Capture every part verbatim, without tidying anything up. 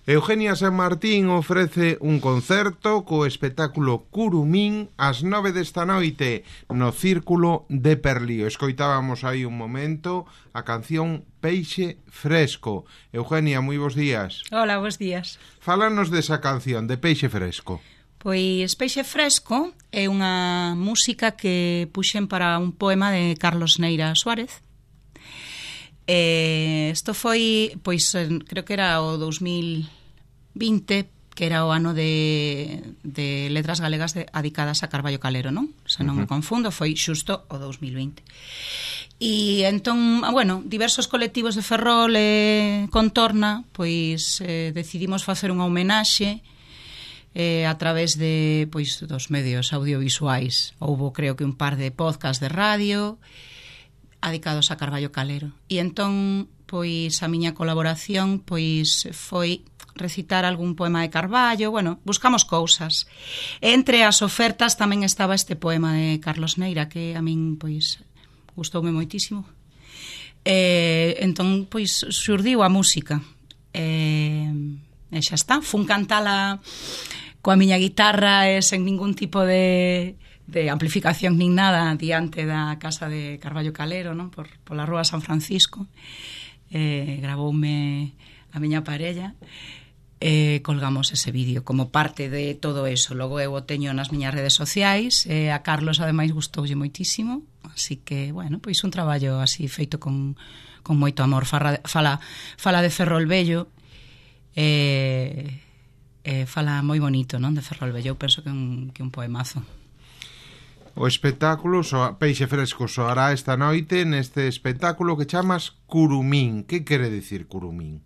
Eugenia San Martín ofrece un concerto co espectáculo Curumín ás nove desta noite no Círculo de Perlío. Escoitábamos aí un momento a canción Peixe Fresco. Eugenia, moi bons días. Hola, bons días. Fálanos desa canción de Peixe Fresco. Pois Peixe Fresco é unha música que puxen para un poema de Carlos Neira Suárez. Eh, isto foi, pois, creo que era o dous mil vinte, que era o ano de, de letras galegas de, adicadas a Carballo Calero, non? Se non uh-huh. me confundo, foi xusto o dous mil vinte. E entón, bueno, diversos colectivos de Ferrol e contorna, pois eh, decidimos facer unha homenaxe eh, a través de, pois, dos medios audiovisuais. Houbo, creo que, un par de podcast de radio adicados a Carballo Calero. E entón, pois, a miña colaboración, pois, foi recitar algún poema de Carballo, bueno, buscamos cousas. Entre as ofertas tamén estaba este poema de Carlos Neira, que a min, pois, gustoume moitísimo. E, entón, pois, xurdiu a música. E, e xa está, fun cantala coa miña guitarra e sen ningún tipo de... de amplificación nin nada diante da casa de Carballo Calero, non? Por, pola rúa San Francisco. Eh, gravoume a miña parella e colgamos ese vídeo como parte de todo eso. Logo eu o teño nas miñas redes sociais e a Carlos ademais gustoulle moitísimo, así que, bueno, pois un traballo así feito con, con moito amor. Fala, fala, fala de Ferrol Vello e, e fala moi bonito, non? De Ferrol Vello, eu penso que un, que un poemazo. O espectáculo soa, Peixe Fresco soará esta noite neste espectáculo que chamas Curumín. Que quere dicir Curumín?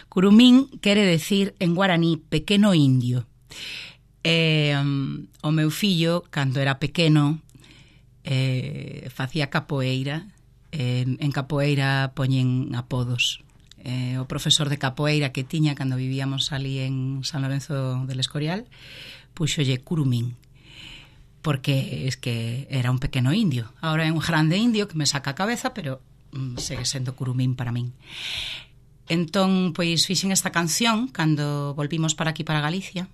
Curumín quere decir en guaraní pequeno indio. Eh, um, o meu fillo, cando era pequeno, eh, facía capoeira. Eh, en capoeira poñen apodos. Eh, o profesor de capoeira que tiña cando vivíamos ali en San Lorenzo del Escorial puxolle Curumín, porque es que era un pequeno indio. Ahora é un grande indio que me saca a cabeza, pero mm, segue sendo Curumín para min. Entón, pois, fixen esta canción cando volvimos para aquí, para Galicia,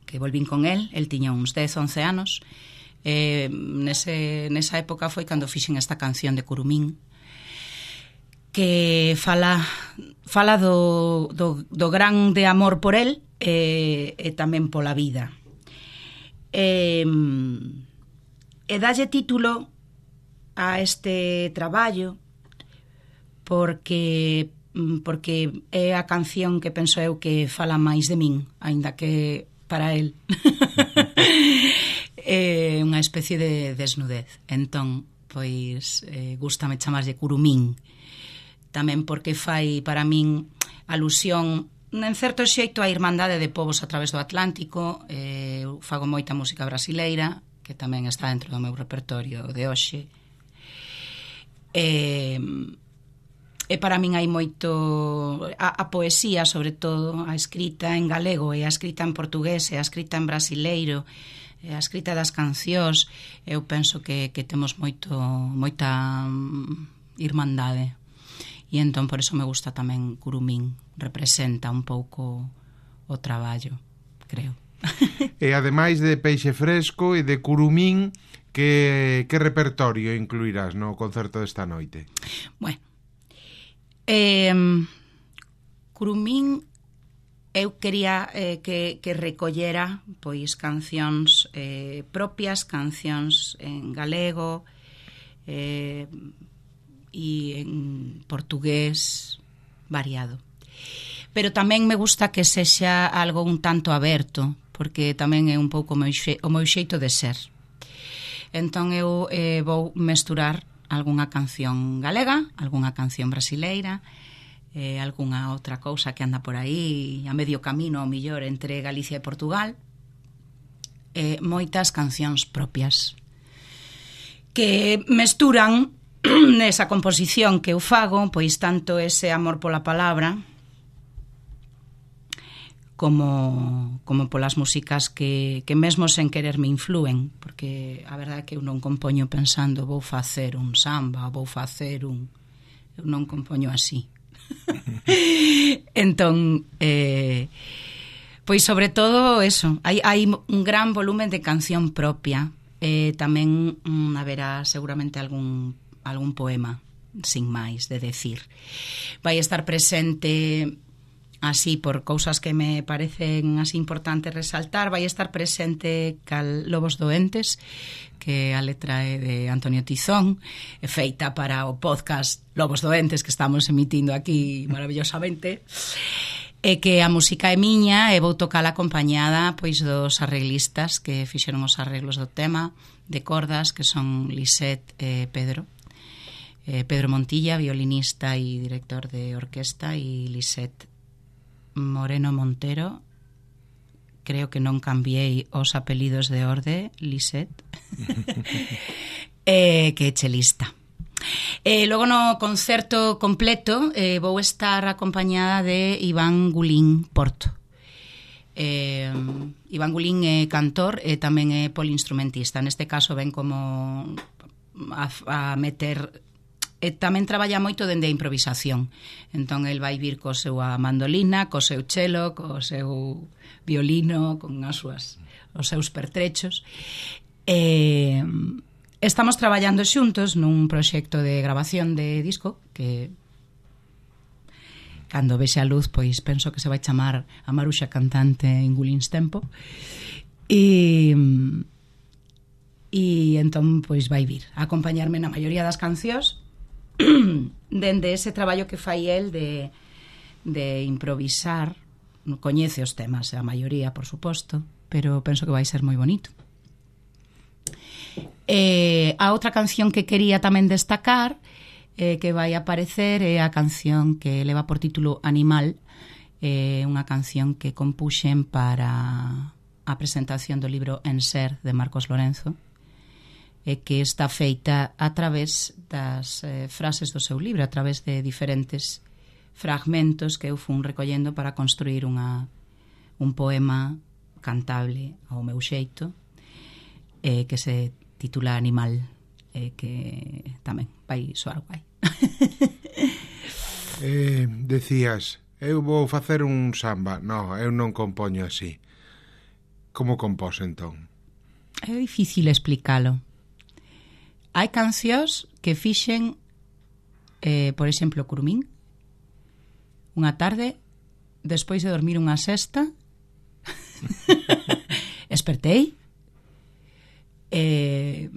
que volvín con él, el tiña uns dez, once anos. Eh, nese, nesa época foi cando fixen esta canción de Curumín, que fala, fala do, do, do grande amor por él e, e tamén pola vida. E, e dalle título a este traballo porque porque é a canción que penso eu que fala máis de min, aínda que para el é unha especie de desnudez. Entón, pois, eh, gústame chamarlle Curumín, tamén porque fai para min alusión en certo xeito a irmandade de povos a través do Atlántico. eh, eu fago moita música brasileira que tamén está dentro do meu repertorio de hoxe, e, e para min hai moito a, a poesía, sobre todo a escrita en galego e a escrita en portugués e a escrita en brasileiro e a escrita das cancións. Eu penso que, que temos moito moita irmandade. E entón, por eso me gusta tamén Curumín. Representa un pouco o traballo, creo. E ademais de Peixe Fresco e de Curumín, que, que repertorio incluirás no concerto desta noite? Bueno, eh, Curumín eu quería eh, que, que recollera pois cancións eh, propias, cancións en galego, eh, e en portugués variado. Pero tamén me gusta que sexa algo un tanto aberto, porque tamén é un pouco o meu, xe, o meu xeito de ser. Entón eu eh, vou mesturar algunha canción galega, algunha canción brasileira, eh, algunha outra cousa que anda por aí a medio camino, ao millor, entre Galicia e Portugal, eh, moitas cancións propias que mesturan nesa composición que eu fago, pois tanto ese amor pola palabra como, como polas músicas que, que mesmo sen querer me influen, porque a verdade é que eu non compoño pensando vou facer un samba, vou facer un... eu non compoño así. Entón, eh, pois sobre todo eso, hai, hai un gran volumen de canción propia. Eh, tamén mm, haberá seguramente algún, algún poema, sin máis, de decir. Vai estar presente, así, por cousas que me parecen así importantes resaltar, vai estar presente Cal Lobos Doentes, que a letra é de Antonio Tizón, é feita para o podcast Lobos Doentes que estamos emitindo aquí maravillosamente, e que a música é miña e vou tocar acompañada pois dos arreglistas que fixeron os arreglos do tema de cordas, que son Lisette e Pedro. Eh, Pedro Montilla, violinista e director de orquesta, e Lisette Moreno Montero, creo que non cambiei os apelidos de orde, Lisette, eh, que é chelista. Eh, logo no concerto completo eh, vou estar acompañada de Iván Gulín Porto. Eh, Iván Gulín é cantor e tamén é poliinstrumentista. Neste caso ven como a, a meter... E tamén traballa moito dende a improvisación. Entón, el vai vir co seu a mandolina, co seu chelo, co seu violino, con as súas, os seus pertrechos. E... estamos traballando xuntos nun proxecto de grabación de disco que cando vexe a luz pois penso que se vai chamar A Maruxa Cantante en Gulins Tempo, e e entón pois vai vir a acompañarme na maioría das cancións dende ese traballo que fai el de, de improvisar. Coñece os temas, a maioría por suposto, pero penso que vai ser moi bonito. Eh, a outra canción que quería tamén destacar eh, que vai aparecer é a canción que leva por título Animal, eh, unha canción que compuxen para a presentación do libro En Ser de Marcos Lorenzo, e que está feita a través das eh, frases do seu libro, a través de diferentes fragmentos que eu fun recollendo para construir unha, un poema cantable ao meu xeito, eh, que se titula Animal, eh, que tamén vai soar guai. eh, decías, eu vou facer un samba. No, eu non compoño así. Como compós entón? É difícil explicalo. Hai cancións que fixen, eh, por exemplo, Curumín, unha tarde, despois de dormir unha sesta, espertei, e,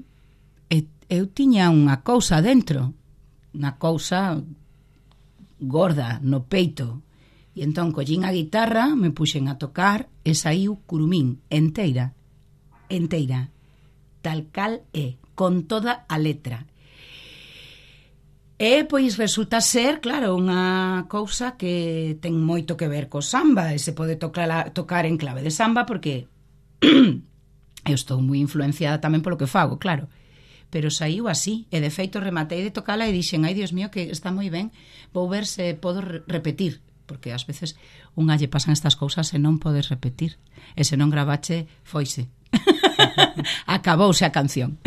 e eu tiña unha cousa dentro, unha cousa gorda no peito, e entón collín a guitarra, me puxen a tocar e saiu Curumín enteira, enteira, tal cal é, con toda a letra. E pois resulta ser, claro, unha cousa que ten moito que ver co samba, e se pode tocar, tocar en clave de samba, porque eu estou moi influenciada tamén polo que fago, claro, pero saiu así, e de feito rematei de tocala e dixen, ai, Dios mío, que está moi ben, vou ver se podo re repetir, porque ás veces unha lle pasan estas cousas e non podes repetir, e se non gravache, foise. Acabouse a canción.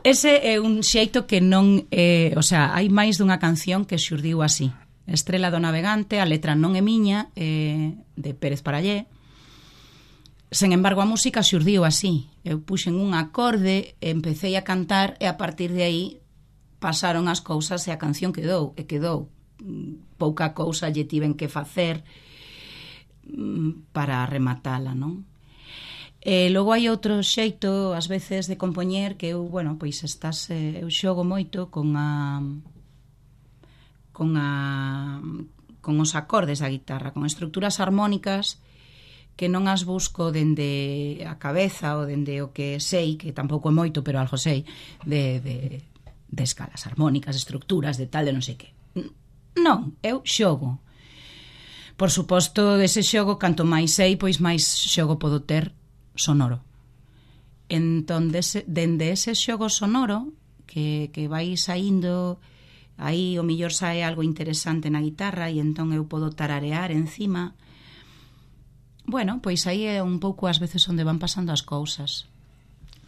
Ese é un xeito que non é, o sea, hai máis dunha canción que xurdiu así. Estrela do Navegante, a letra non é miña, é de Pérez Parallé. Sen embargo, a música xurdiu así. Eu puxen un acorde, empecé a cantar e a partir de aí pasaron as cousas e a canción quedou, e quedou. Pouca cousa lle tiven que facer para rematala, non? E logo hai outro xeito, ás veces, de compoñer que eu, bueno, pois estás, eh, eu xogo moito con a con a con os acordes da guitarra, con estruturas armónicas que non as busco dende a cabeza ou dende o que sei, que tampouco é moito, pero algo sei, de, de, de escalas armónicas, estructuras, de tal, de non sei que. Non, eu xogo. Por suposto, dese xogo, canto máis sei, pois máis xogo podo ter sonoro. Entón, dese, dende ese xogo sonoro que, que vai saindo, aí o millor sae algo interesante na guitarra e entón eu podo tararear encima. Bueno, pois aí é un pouco ás veces onde van pasando as cousas.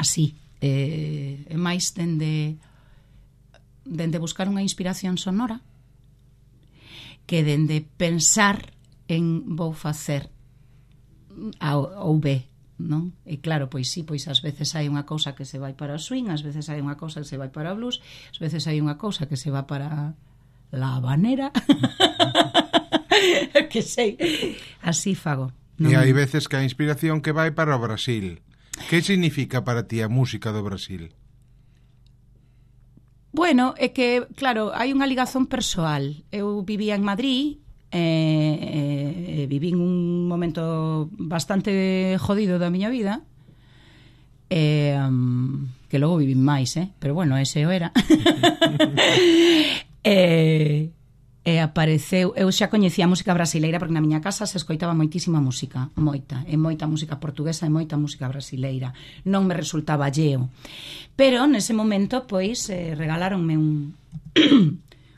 Así, eh, é máis dende dende buscar unha inspiración sonora que dende pensar en vou facer A ou B, non? E claro, pois sí, pois ás veces hai unha cousa que se vai para o swing, ás veces hai unha cousa que se vai para o blues, ás veces hai unha cousa que se va para la habanera. Que sei, así fago. Non? E hai veces que a inspiración que vai para o Brasil. Que significa para ti a música do Brasil? Bueno, é que, claro, hai unha ligazón persoal. Eu vivía en Madrid, eh, eh, vivín un momento bastante jodido da miña vida, eh, um, que logo vivín máis, eh? Pero bueno, ese o era. E eh, eh, apareceu, eu xa coñecía a música brasileira porque na miña casa se escoitaba moitísima música, moita, e moita música portuguesa e moita música brasileira. Non me resultaba alleo. Pero nese momento, pois, eh, regaláronme un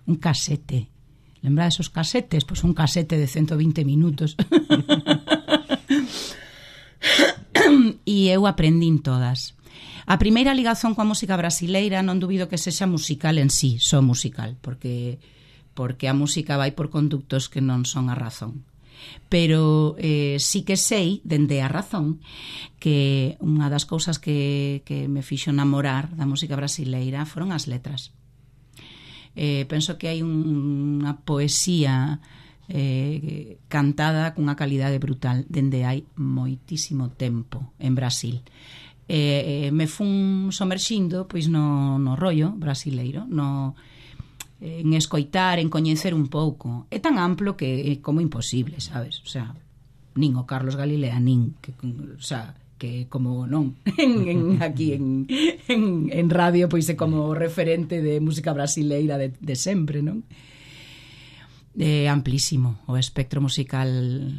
un casete. Lembra esos casetes? Pois un casete de ciento vinte minutos. E eu aprendín todas. A primeira ligazón coa música brasileira non dubido que sexa musical en sí, só musical, porque porque a música vai por conductos que non son a razón. Pero eh, sí que sei, dende a razón, que unha das cousas que, que me fixo namorar da música brasileira foron as letras. Eh, penso que hai un, unha poesía eh, cantada cunha calidade brutal dende hai moitísimo tempo en Brasil. Eh, eh, me fun somerxindo pois no, no rollo brasileiro, no, en escoitar, en coñecer un pouco. É tan amplo que é como imposible, sabes? O sea, nin o Carlos Galilea, nin que, o sea, que como non en, en, aquí en, en, en radio pois é como referente de música brasileira de, de sempre, non? É amplísimo, o espectro musical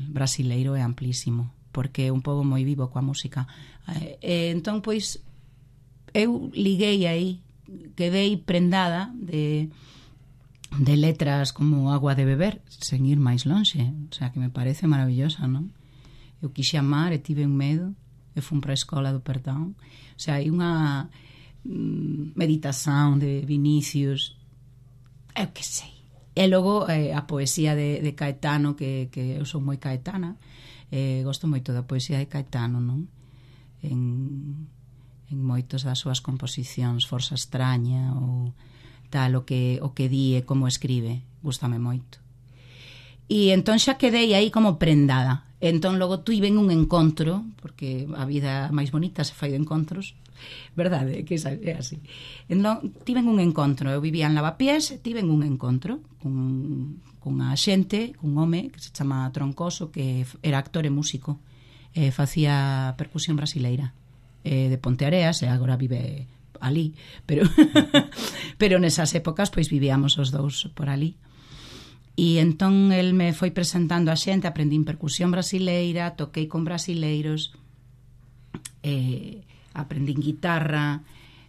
brasileiro é amplísimo, porque é un pobo moi vivo coa música. E, entón, pois, eu liguei aí, quedei prendada de, de letras como Agua de Beber, sen ir máis lonxe, o sea, que me parece maravillosa, non? Eu quixe amar e tive un medo, e fun para a escola do perdón. O sea, hai unha mm, meditación de Vinicius, eu que sei. E logo eh, a poesía de, de Caetano, que, que eu sou moi caetana, eh, gosto moito da poesía de Caetano, non? En, en moitos das súas composicións, Forza Extraña ou tal, o que, o que di e como escribe, gústame moito. E entón xa quedei aí como prendada. Entón logo tuiven un encontro, porque a vida máis bonita se fai de encontros, verdade, que é así. Entón tiven un encontro, eu vivía en Lavapiés, tiven un encontro con, con a xente, cun home que se chama Troncoso, que era actor e músico, e facía percusión brasileira, e de Ponteareas, e agora vive ali, pero pero nesas épocas pois vivíamos os dous por ali. E entón el me foi presentando a xente, aprendín percusión brasileira, toquei con brasileiros, eh, aprendín guitarra,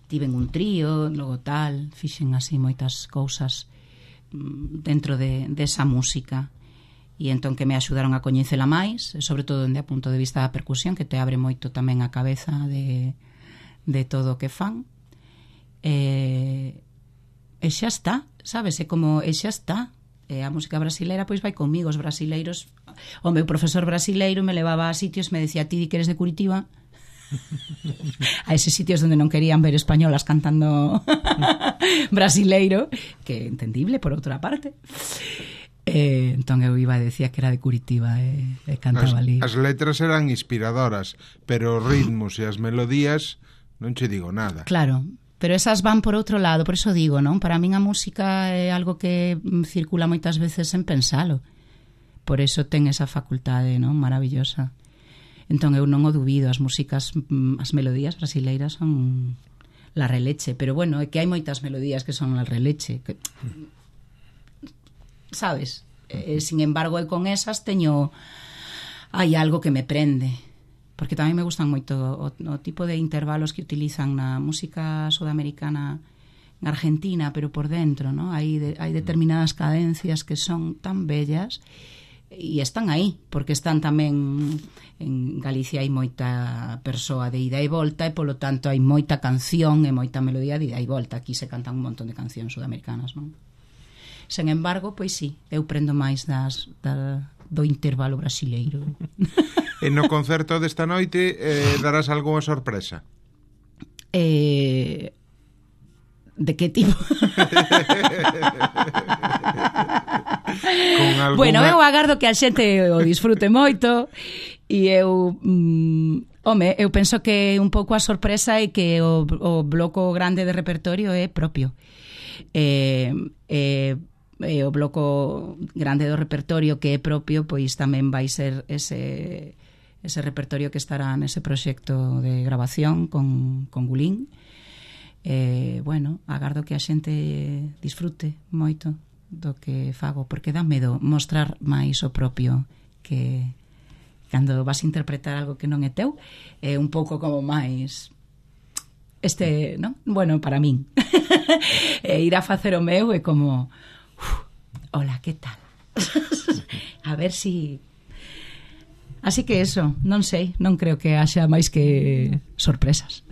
tiven un trío, logo tal, fixen así moitas cousas dentro de, de esa música. E entón que me axudaron a coñecela máis, sobre todo dende a punto de vista da percusión, que te abre moito tamén a cabeza de, de todo o que fan. E, e xa está, sabes, é como, e xa está. E a música brasileira pois vai comigo, os brasileiros, o meu profesor brasileiro me levaba a sitios, me decía, ti di que eres de Curitiba, a eses sitios onde non querían ver españolas cantando brasileiro, que entendible por outra parte. E, entón eu iba e decía que era de Curitiba e, e cantaba ali. As, as letras eran inspiradoras, pero os ritmos e as melodías non che digo nada. Claro, pero esas van por outro lado, por eso digo, non? Para min a música é algo que circula moitas veces sen pensalo. Por eso ten esa facultade, non? Maravillosa. Entón eu non o dubido, as músicas, as melodías brasileiras son la releche, pero bueno, é que hai moitas melodías que son la releche, que, sabes? Eh, sin embargo, eu con esas teño, hai algo que me prende, porque tamén me gustan moito o, o tipo de intervalos que utilizan na música sudamericana en Argentina, pero por dentro, ¿no? Hai, de, hai determinadas cadencias que son tan bellas e están aí, porque están tamén en Galicia, hai moita persoa de ida e volta e polo tanto hai moita canción e moita melodía de ida e volta. Aquí se cantan un montón de cancións sudamericanas, non? Sen embargo, pois sí, eu prendo máis das, da, do intervalo brasileiro. E no concerto desta noite eh, darás algunha sorpresa? Eh, de que tipo? Con alguna... Bueno, eu agardo que a xente o disfrute moito e eu... Mm, home, eu penso que un pouco a sorpresa é que o, o bloco grande de repertorio é propio. Eh, eh, e o bloco grande do repertorio que é propio, pois tamén vai ser ese, ese repertorio que estará nese proxecto de grabación con, con Gulín. Eh, bueno, agardo que a xente disfrute moito do que fago, porque dá medo mostrar máis o propio, que cando vas a interpretar algo que non é teu, é un pouco como máis este, non? Bueno, para min e ir a facer o meu é como uf, hola, que tal? A ver si... Así que eso, non sei, non creo que haxa máis que sorpresas.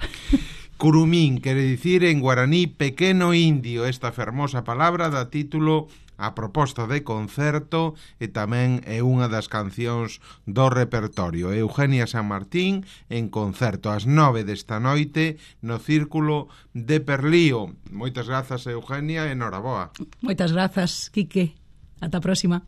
Curumín quere dicir en guaraní pequeno indio. Esta fermosa palabra dá título a proposta de concerto e tamén é unha das cancións do repertorio. Eugenia San Martín en concerto ás nove desta noite no Círculo de Perlío. Moitas grazas, Eugenia, e noraboa. Moitas grazas, Quique. Ata a próxima.